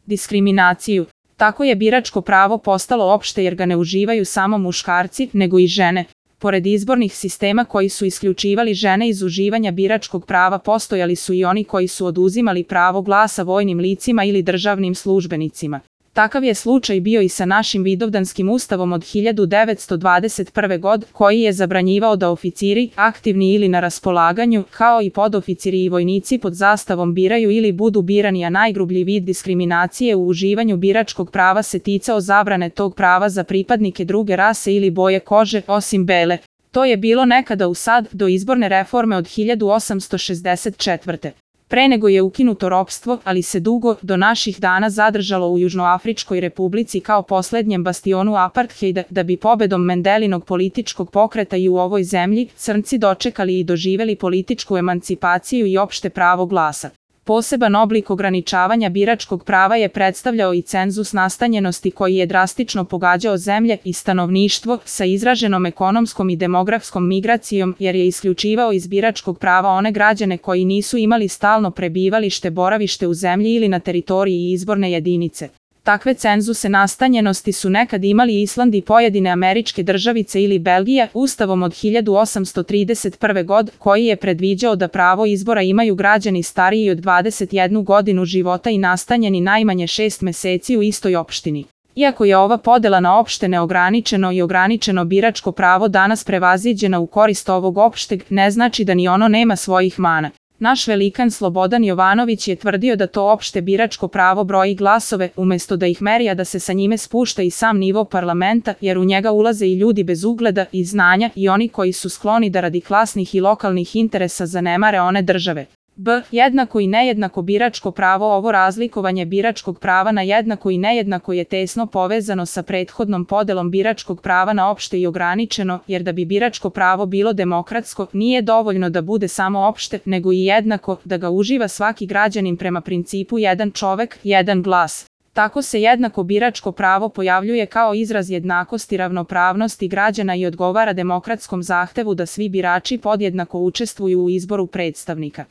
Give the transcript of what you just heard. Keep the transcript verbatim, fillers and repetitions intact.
diskriminaciju. Tako je biračko pravo postalo opšte jer ga ne uživaju samo muškarci, nego i žene. Pored izbornih sistema koji su isključivali žene iz uživanja biračkog prava, postojali su i oni koji su oduzimali pravo glasa vojnim licima ili državnim službenicima. Takav je slučaj bio i sa našim Vidovdanskim ustavom od hiljadu devetsto dvadeset prve. godine, koji je zabranjivao da oficiri, aktivni ili na raspolaganju, kao i podoficiri i vojnici pod zastavom biraju ili budu birani, a najgrublji vid diskriminacije u uživanju biračkog prava se ticao zabrane tog prava za pripadnike druge rase ili boje kože, osim bele. To je bilo nekada u sad, do izborne reforme od hiljadu osamsto šezdeset četvrte. Pre nego je ukinuto ropstvo, ali se dugo, do naših dana zadržalo u Južnoafričkoj republici kao poslednjem bastionu apartheida, da bi pobedom Mendelinog političkog pokreta i u ovoj zemlji, crnci dočekali i doživeli političku emancipaciju i opšte pravo glasa. Poseban oblik ograničavanja biračkog prava je predstavljao i cenzus nastanjenosti koji je drastično pogađao zemlje i stanovništvo sa izraženom ekonomskom i demografskom migracijom, jer je isključivao iz biračkog prava one građane koji nisu imali stalno prebivalište, boravište u zemlji ili na teritoriji izborne jedinice. Takve cenzuse nastanjenosti su nekad imali Island i pojedine američke državice ili Belgija, ustavom od hiljadu osamsto trideset prve. godine, koji je predviđao da pravo izbora imaju građani stariji od dvadeset jednu godinu života i nastanjeni najmanje šest meseci u istoj opštini. Iako je ova podela na opšte neograničeno i ograničeno biračko pravo danas prevaziđena u korist ovog opšteg, ne znači da ni ono nema svojih mana. Naš velikan Slobodan Jovanović je tvrdio da to opšte biračko pravo broji glasove, umesto da ih meri, a da se sa njime spušta i sam nivo parlamenta, jer u njega ulaze i ljudi bez ugleda i znanja i oni koji su skloni da radi klasnih i lokalnih interesa zanemare one države. B. Jednako i nejednako biračko pravo. Ovo razlikovanje biračkog prava na jednako i nejednako je tesno povezano sa prethodnom podelom biračkog prava na opšte i ograničeno, jer da bi biračko pravo bilo demokratsko, nije dovoljno da bude samo opšte, nego i jednako, da ga uživa svaki građanin prema principu jedan čovek, jedan glas. Tako se jednako biračko pravo pojavljuje kao izraz jednakosti i ravnopravnosti građana i odgovara demokratskom zahtevu da svi birači podjednako učestvuju u izboru predstavnika.